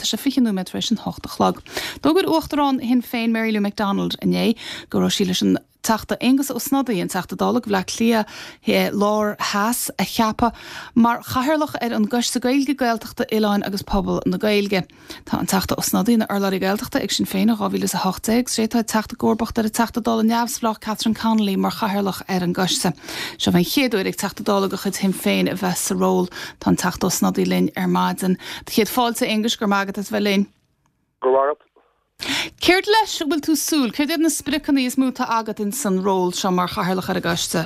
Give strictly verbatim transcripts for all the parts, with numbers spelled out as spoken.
Tá sé fiche nóiméad tar éis an hocht a chlog. D'fhógair Uachtarán Shinn Féin Mary Lou McDonald inné go raibh sí leis an Teachta Aengus Ó Snodaigh an Teachta Dála do Bhaile Átha Cliath Láir Theas a cheapadh mar chathaoirleach ar an gCoiste Gaeilge Gaeltachta Oileáin agus Pobal na Gaeilge. Tá an Teachta Ó Snodaigh ina urlabhraí Gaeltachta ag Sinn Féin ó dhá mhíle is a hocht déag, sé tá teacht i gcomharbacht ar an Teachta Dála neamhspleách Catherine Connolly mar chathaoirleach ar an gcoiste. Seo an chéad uair ag Teachta Dála de chuid Shinn Féin a bheith sa ról tá an Teachta Ó Snodaigh linn ar maidin. Tá céad fáilte Aengus go magat as bheith linn. Go raibh. Céard leis bhfuil tú súil, céard iad na spriocanna is mó atá agat in san ról seo mar chathaoirleach ar an gcoiste?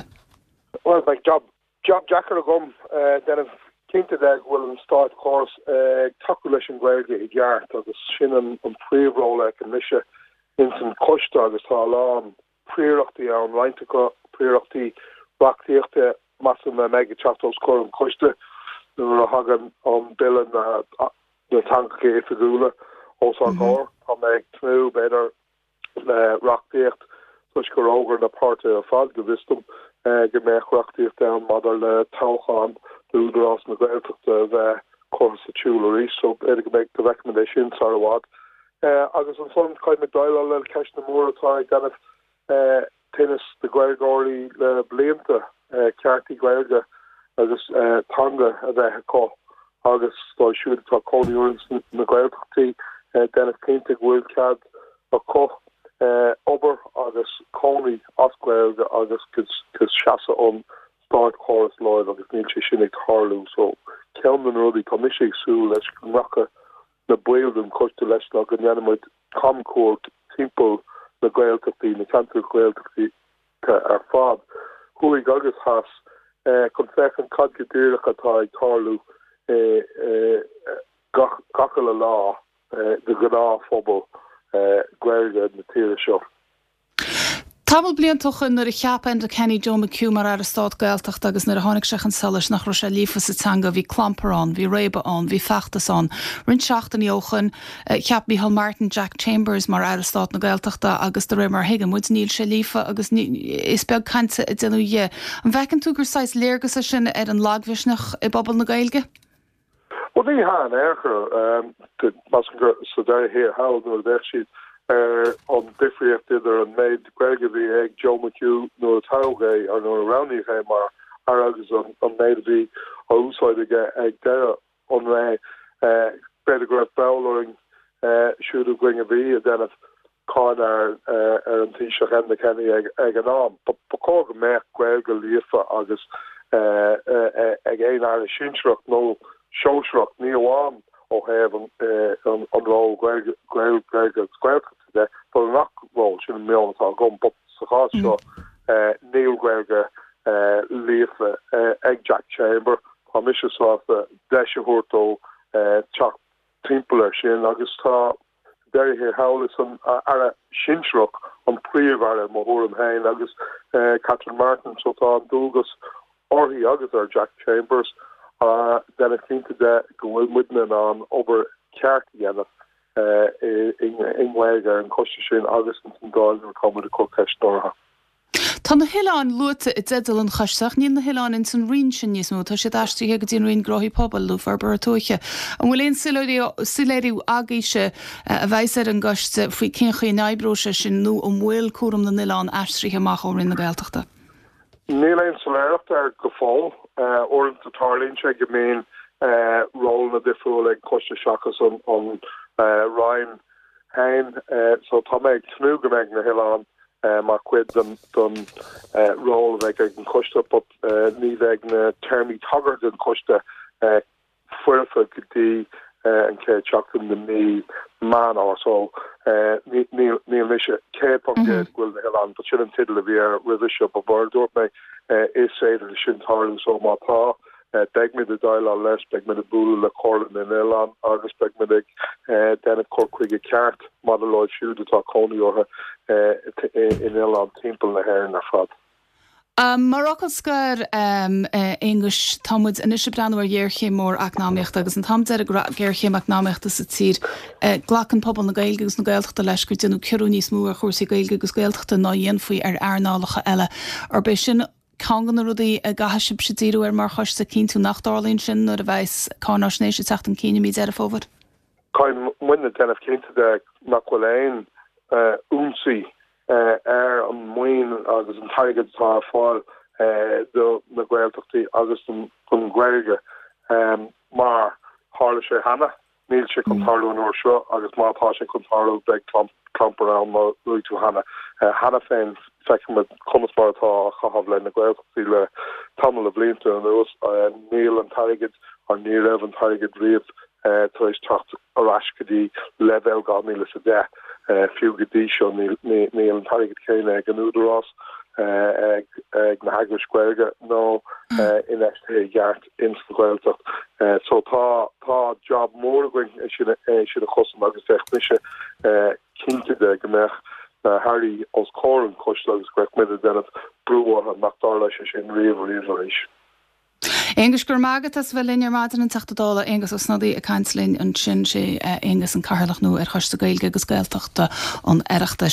Well beidh job job deacair agam uh, déanamh cinnte de go bhfuil an státchóras ag uh, tacú leis an Ghaeilge i gceart agus sin an, an príomhról ag an mise in san coiste agus tá a lán príorachtaí ann roinnt príorachtaí reachtaíochta measaim a mbeidh ag teacht os comhair an choiste nuair a thagann an bille na na teangacha oifigiúla os ár gcomhair Tá mé ag tnúth b'fhéidir le reachtaíocht toisc gur fhógair na páirtithe ar fad go bhfios dom go mbeadh reachtaíocht ann maidir le toghchán d'Údarás na Gaeltachta a bheith curtha sa tsiúl arís, so b'fhéidir go mbeidh go bhfeicfimid é sin sar i bhfad. Agus ansan caithfidh déileáil le ceisteanna móra atá ag déanamh tinnis do Ghaeilgeoirí le blianta cearta Gaeilge agus teanga a bheith acu agus dóibh siúd atá cónaí orthu na Gaeltachtaí déanamh cinnte go bhfuil cead acu obair agus cónaí as Gaeilge agus go seasann an státchóras leo agus níl sé sin ag tarlú so ceann de na rudaí tá mise ag súil leis go nglacfaidh na baill den choiste leis ná go ndéanfaimid camchuairt timpeall na Gaeltachtaí na ceantar Gaeltachtaí ar fad thuaidh agus theas chun féachaint cad go díreach atá ag tarlú gach gach uile lá de ghnáthphobal Gaeilge na tíre seo. Tamall blianta ó shin nuair a cheap Enda Kenny Joe McHugh mar Aire Stáit Gaeltachta agus nuair a tháinig sé chun solais nach raibh sé líofa sa teanga bhí clampar ann, bhí réabadh ann, bhí feachtas ann. Roinnt seachtainí ó shin cheap Micheál Martin Jack Chambers mar Aire Stáit na Gaeltachta agus de réir mar a thuigeann muid níl sé líofa agus is beag cainte a déanadh dhe. An bhfeiceann tú gur saghas léargas é sin ar an lagmhisneach i bpobal na Gaeilge? Well ní han airchur gur sa deireadh thiar thall nuair a bheith siad ar an difríocht idir an méid Gaeilge a bhí ag Joe McHugh nuair a toghadh é ar nuair a roghnaíodh é mar aire agus an, an méid a bhí á úsáid aige ag deireadh an ré b'fhéidir go raibh breall orainn siúd againn a bhí ag déanamh cáineadh ar ar an Taoiseach Enda Kenny ag, ag an am. Ba chóir go mbeadh Gaeilge líofa agus ag aon aire sinsearach nó sóisearach ní amháin ó thaobh an, an, an ról Gaeilge Gaeltachta de, but an nach ról sin an meon atá agam, but sa chás seo níl Gaeilge líofa ag Jack Chamber Tá mise sásta deis a thabhairt dó teacht timpeall air sin agus tá deireadh thall is an aire sinsearach an príomh-aire mo thuairim féin agus Catherine Martin so tá an dualgas uirthi agus ar Jack Chambers déanamh cinnte de go bhfuil muidne in ann obair cheart a dhéanamh i nGaeilge ar an choiste sin agus an Dáil nuair atá muid ag cur ceisteanna orthu. Tá na hoileáin luaite i dteideal an choiste ach níl na hoileáin in san roinn sin níos mó, tá siad aistrithe go dtí an Roinn Gnóthaí Pobail nó Forbartha Tuaithe. An bhfuil aon soiléiriú agaibhse a bheas ar an gcoiste faoi cén chaoi a n-oibreoidh sé sin nó an bhfuil cúram na n-oileán aistrithe amach ó Roinn na Gaeltachta? Níl aon soiléireacht air go fóill uaireanta tarlaíonn sé go mbíonn rólanna difriúla ag coiste seachas an an Roinn féin so tá mé ag tnúth go mbeidh na hoileáin mar chuid den don ról a bheidh ag an choiste but ní bheidh na téarmaí tagartha den choiste foirfe go dtí an chéad seachtain de mí Meán so níl mise céad faoin gcéad go bhfuil na hoileáin, but sin an teideal a bhí air roimhe seo ba mhór dúirt mé is féidir sin tarlú so má tá beidh muid ag déileáil leis, beidh muid ag bualadh le Comhairle na nOileán agus beidh muid ag déanamh cur chuige ceart maidir leo siúd atá cónaí orthu in oileáin timpeall na hÉireann ar fad. Um, mar fhocal scoir um, Aonghus tá muid anois ag breathnú ar ghéarchéim mór eacnamaíochta agus an t-am deiridh go raibh géarchéim eacnamaíochta sa tír uh, glacann pobal na Gaeilge agus na Gaeltachta leis gur déanadh ciorrú níos mó ar chúrsaí Gaeilge agus Gaeltachta ná dhéanfaí ar earnálacha eile. Arb é sin ceann de na rudaí a gcaithfidh sibh díriú air mar choiste cinntiú nach dtarlaíonn sin nuair a bheas cáinaisnéis ag teacht chun cinn i mí Deireadh Fómhair? Caithfidh muidne déanamh cinnte de nach bhfuil aon ionsaí ar an maoin agus an t-airgead atá ar fáil do na Gaeltachtaí agus don Ghaeilge mar tharla sé cheana. Níl sé chun tarlú an uair seo agus má tá sé chun tarlú beidh clampar ann mar luaigh tú cheana. Cheana féin feicimid conas mar atá á chaitheamh le na Gaeltachtaí le tamall de bhlianta anuas. Níl an t-airgead or ní raibh an t-airgead riamh tar éis teacht ar ais go dtí leibhéal dhá mhíle is a deich. Fiú go dtí seo níl an t-airgead céanna ag an Údarás, ag na heagrais Ghaeilge nó infheistithe i gceart ins an Ghaeltacht. So tá tá job mór againn é sin é sin a chosaint agus bheadh mise cinnte de go mbeadh na hairí os comhair an choiste agus go mbeadh muid ag déanamh brú orthu nach dtarlódh sé sin riamh riamh arís. Aengus, go raibh maith agat as bheith linn ar maidin an Teachta Dála Aengus Ó Snodaigh ag caint linn ansin sé Aengus an Cathaoirleach nua ar Choiste Gaeilge agus Gaeltachta an Oireachtais.